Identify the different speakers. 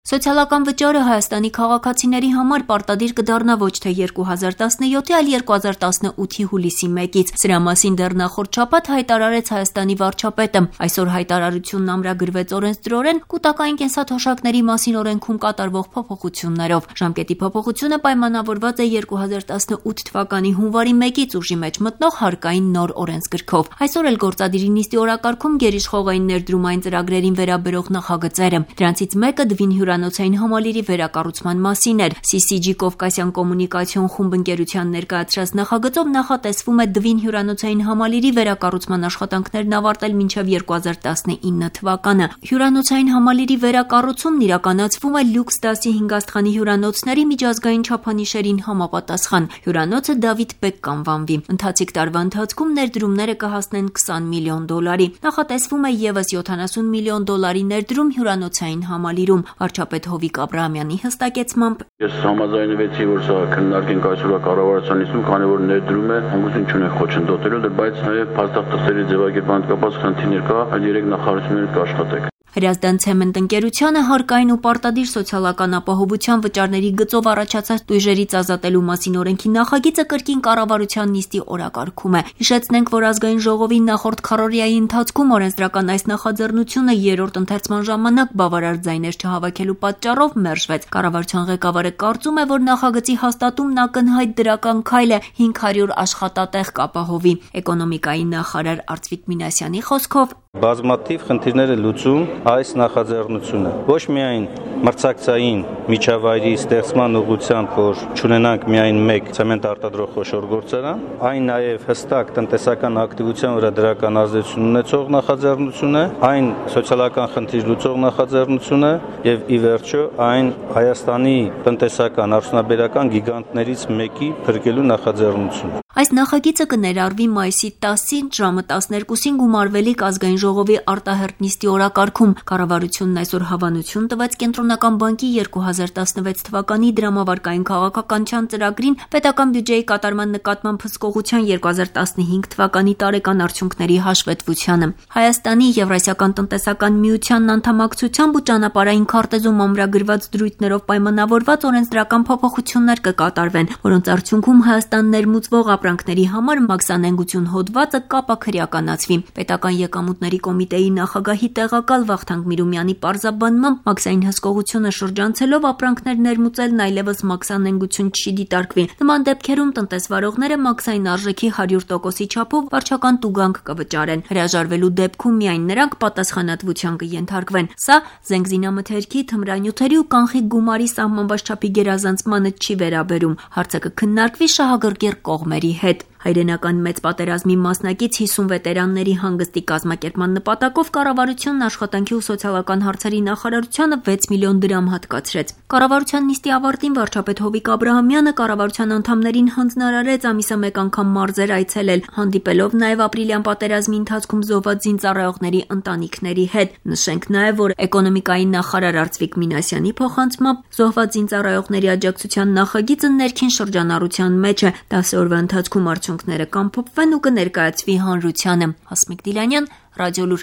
Speaker 1: Սոցիալական վճարը Հայաստանի քաղաքացիների համար պարտադիր կդառնա ոչ թե 2017, այլ 2018-ի հուլիսի 1-ից։ Սրա մասին դեռ նախորդ շաբաթ հայտարարեց Հայաստանի վարչապետը։ Այսօր հայտարարությունն ամրագրվեց օրենսդրորեն կൂട്ടակային կենսաթոշակների մասին օրենքում կատարվող փոփոխություններով։ Ժամկետի փոփոխությունը պայմանավորված է 2018 թվականի հունվարի 1-ից ուժի մեջ մտնող հարկային նոր օրենսգրքով։ Այսօր էլ գործադիրի նիստի օրակարգում գերիշխող էին ներդրումային ծրագրերին վերաբերող նախագծերը։ Դրանցից մեկը Դվին հյուրանոցային համալիրի վերակառուցման մասին էր։ CCG Կովկասյան կոմունիկացիոն խումբ ընկերության ներկայացրած նախագծով նախատեսվում է Դվին հյուրանոցային համալիրի վերակառուցման աշխատանքներն ավարտել մինչև 2019 թվականը։ Հյուրանոցային համալիրի վերակառուցումն իրականացվում է լյուքս դասի 5 աստղանի հյուրանոցների միջազգային չափանիշերին համապատասխան։ Հյուրանոցը Դավիթ Բեկ կանվանվի։ Ընթացիկ տարվա ընթացքում ներդրումները կհասնեն $20 միլիոն։ Նախատեսվում է ևս $70 միլիոն ներդրում հյուրանոցային համալիրում։ Վարչապետ Հովիկ Աբրահամյանի հստակեցմամբ
Speaker 2: Ես համաձայնվեցի, որ սա քննարկենք այսօր կառավարության նիստում, քանի որ ներդրում է, հանգուցություն չունենք խոչընդոտելու, բայց նաև փաստաթղթերի ձևակերպման կապված խնդիրներ կա, այդ 3 նախարարությունները կաշխատենք։
Speaker 1: Հրազդան ցեմենտ ընկերությանը հարկային ու պարտադիր սոցիալական ապահովության վճարների գծով առաջացած տույժերից ազատելու մասին օրենքի նախագիծը կրկին կառավարության նիստի օրակարգում է։ Հիշեցնենք, որ ազգային ժողովի նախորդ քառօրյայի ընթացքում օրենսդրական այս նախաձեռնությունը 3-րդ ընթերցման ժամանակ բավարար ձայներ չհավաքելու պատճառով մերժվեց։ Կառավարության ղեկավարը կարծում է, որ նախագծի հաստատումն ակնհայտ դրական քայլ է 500 աշխատատեղ կապահովի։ Էկոնոմիկայի նախարար Արծվիկ Մինասյանի խոսքով
Speaker 3: բազմաթիվ խնդիրներ է լուծում այս նախաձեռնությունը։ Ոչ միայն մրցակցային միջավայրի ստեղծման ուղղությամբ, որ չունենանք միայն մեկ ցեմենտ արտադրող խոշոր գործարան, այն նաև հստակ տնտեսական ակտիվության վրա դրական ազդեցություն ունեցող նախաձեռնություն է, այն սոցիալական խնդիր լուծող նախաձեռնություն է եւ ի վերջո այն Հայաստանի տնտեսական արդյունաբերական գիգանտներից մեկի փրկելու նախաձեռնություն է։
Speaker 1: Այս նախագիծը կներառվի մայիսի 10-ին ժամը 12-ին գումարվելիք ազգային ժողովի արտահերթ նիստի օրակարգում։ Կառավարությունն այսօր հավանություն տվեց Կենտրոնական բանկի 2016 թվականի դրամավարկային քաղաքականության ծրագրին պետական բյուջեի կատարման նկատմամբ հսկողության 2015 թվականի տարեկան արդյունքների հաշվետվությանը։ Հայաստանի Եվրասիական տնտեսական միությանն անդամակցությամբ ու ճանապարհային քարտեզում ամրագրված դրույթներով պայմանավորված օրենսդրական փոփոխություններ կկատարվեն, որոնց արդյունքում Հայաստան ներմուծվող ապրանքների համար մաքսանենգություն հոդվածը կապաքրեականացվի։ Պետական եկամուտների կոմիտեի նախագահի տեղակալ Վախթանգ Միրումյանի պարզաբանմամբ մաքսային հսկողությունը շրջանցելով ապրանքներ ներմուծելն այլևս մաքսանենգություն չի դիտարկվի։ Նման դեպքերում տնտեսվարողները մաքսային արժեքի 100%-ի չափով վարչական տուգանք կվճարեն։ Հրաժարվելու դեպքում միայն նրանք պատասխանատվության կենթարկվեն։ Սա զենգզինամթերքի, թմրանյութերի ու կանխիկ գումարի սահմանված չափի գերազանցմանը չի վերաբերում։ Հարցը կքննարկվի շահագրգիռ կողմերի հետ։ Հայրենական մեծ պատերազմի մասնակից 50 վետերանների հանգստի կազմակերպման նպատակով կառավարությունն աշխատանքի ու սոցիալական հարցերի նախարարությանը 6 միլիոն դրամ հատկացրեց։ Կառավարության նիստի ավարտին վարչապետ Հովիկ Աբրահամյանը կառավարության անդամներին հանձնարարեց ամիսը մեկ անգամ մարզեր այցելել, հանդիպելով նաև ապրիլյան պատերազմի ընթացքում զոհված զինծառայողների ընտանիքների հետ։ Նշենք նաև, որ էկոնոմիկայի նախարար Արծվիկ Մինասյանի փոխանցմամբ զոհված զինծառայողների աջակցության նախագիծը ներքին շրջանառության մեջ է։ 10 օրվա ընթացքում արդյունքները կամփոփվեն ու կներկայացվի հանրությանը։ Հասմիկ Դիլանյան, Ռադիոլուր։